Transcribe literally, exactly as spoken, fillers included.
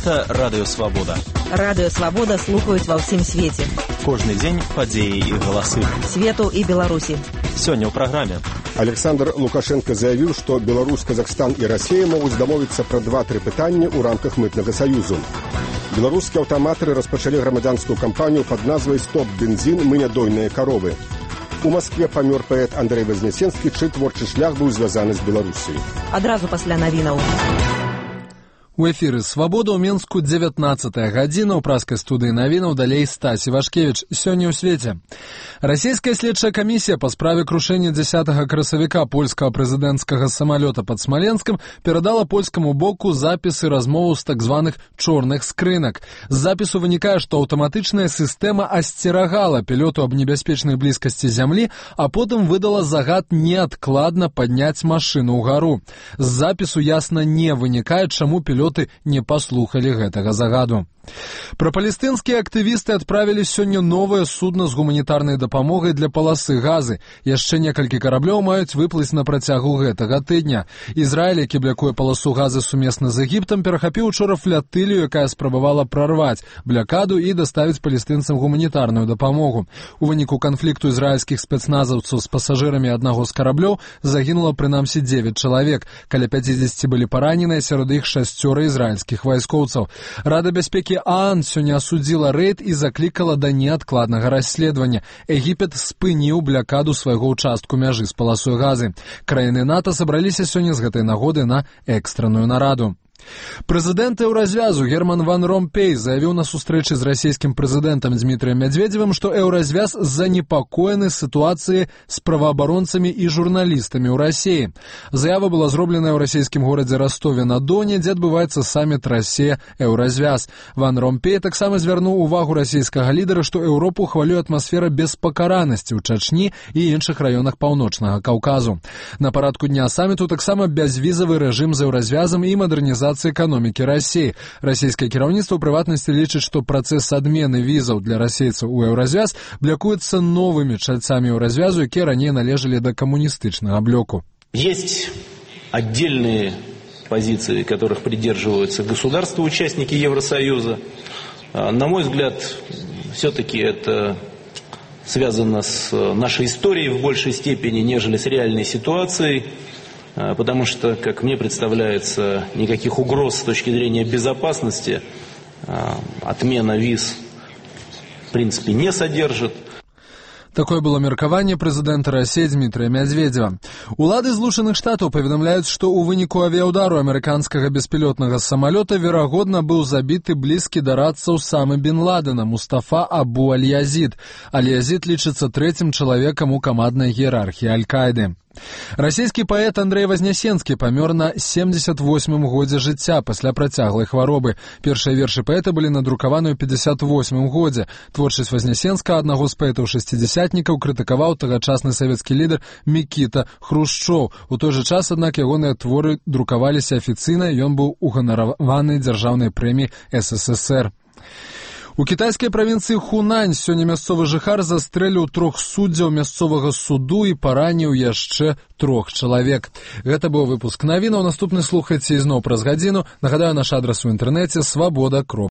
Гэта Радыё Свабода. Радыё Свабода слухаюць ва ўсім свеце. Кожны дзень падзеі і галасы. Свету і Беларусі. Сёння ў праграме. Александр Лукашенко заявіў, што Беларусь, Казахстан і Расія могуць дамовіцца пра два-тры пытанні ў рамках мытнага саюзу. Беларускія аўтаматары распачалі грамадзянскую кампанію пад назвай «Стоп бензін, мы нядойныя каровы». У Маскве памёр паэт Андрэй Вазнесенскі, чый творчы шлях быў звязаны з Беларусіяй. Адразу пасля навінаў. У эфіры «Свабода» ў Менску дзевятнаццатая гадзіна. У праскай студыі навінаў далей Стась Івашкевіч. Сёння ў свеце. Расійская следчая камісія па справе крушэння дзесятага красавіка польскага прэзідэнцкага самалёта пад Смаленскам перадала польскаму боку запісы размоваў з так званых чорных скрынак. З запісу вынікае, што аўтаматычная сістэма асцерагала пілоту аб небяспечнай блізкасці зямлі, а потым выдала загад неадкладна падняць машыну ўгару. З запісу ясна не вынікае, чаму пілот не паслухалі гэтага загаду. Прапалестынскія актывісты адправілі сёння новае судна з гуманітарнай дапамогай для паласы Газы. Яшчэ некалькі караблёў маюць выплыць на працягу гэтага тыдня. Ізраіль, які блякуе паласу Газы сумесна з Егіптам, перахапіў учора флятылію, якая спрабавала прарваць блякаду і даставіць палестынцам гуманітарную дапамогу. У выніку канфлікту ізраільскіх спецназаўцаў з пасажырамі аднаго з караблёў загінула прынамсі дзевяць чалавек. Каля пяцідзесяці былі параненыя, сярод іх шасцёра ізраільскіх вайскоўцаў. Рада бяспекі ААН сёння асудзіла рэйд і заклікала да неадкладнага расследавання. Егіпет спыніў блякаду свайго ўчастку мяжы з паласой Газы. Краіны НАТО сабраліся сёння з гэтай нагоды на экстранную нараду. Прэзідэнт еўразвязу Герман ван Ромпей заявіў на сустрэчы з расійскім прэзідэнтам Дмітрыем Мядзведзевым, што еўразвяз занепакоены сітуацыяй з праваабаронцамі і журналістамі ў Расіі. Заява была зроблена ў расійскім горадзе Ростове-на-Доне, дзе адбываецца саміт Расія-еўразвяз. Ван Ромпей таксама звярнуў увагу расійскага лідара, што Еўропу хвалюе атмасфера беспакаранасці ў Чачні і іншых раёнах паўночнага Каўказу. На парадку дня саміту таксама бязвізавы рэжым з еўразвязам і мадэрнізацыя эканомікі Расіі. Расійскае кіраўніцтва ў прыватнасці лічыць, што працэс адмены візаў для расейцаў у еўразвяз блякуецца новымі чальцамі еўразвязу, якія раней належалі да камуністычнага блоку. Есть отдельные позиции, которых придерживаются государства-участники Евросоюза. На мой взгляд, все-таки это связано с нашей историей в большей степени, нежели с реальной ситуацией. Потому что, как мне представляется, никаких угроз с точки зрения безопасности отмена виз в принципе не содержит. Такое было меркаванне прэзідэнта Расіі Дмітрыя Мядзведзева. Улады Злучаных Штатаў паведамляюць, што ў выніку авіяўдару амерыканскага беспілотнага самалёта верагодна быў забіты блізкі да радцаў Усамы бін Ладена Мустафа Абу Аль-Язід. Аль-Язід лічыцца трэцім чалавекам у каманднай іерархіі Аль-Каіды. Расійскі паэт Андрэй Вазнесенскі памёр на семдзесят восьмым годзе жыцця пасля працяглай хваробы. Першыя вершы паэта былі надрукаваны ў пятьдесят восьмым годзе. Творчасць Вазнесенска, аднаго з паэтаў-шасцідзясятнікаў, крытыкаваў тагачасны савецкі лідар Мікіта Хрушчоў. У той жа час, аднак, ягоныя творы друкаваліся афіцыйна, ён быў уганараваны дзяржаўнай прэміяй эс эс эс эр. У кітайскай правінцыі Хунань сёння мясцовы жыхар застрэліў трох суддзяў мясцовага суду і параніў яшчэ трох чалавек. Гэта быў выпуск навінаў. Наступны слухайце ізноў праз гадзіну. Нагадаю, наш адрас у інтэрнэце свабода.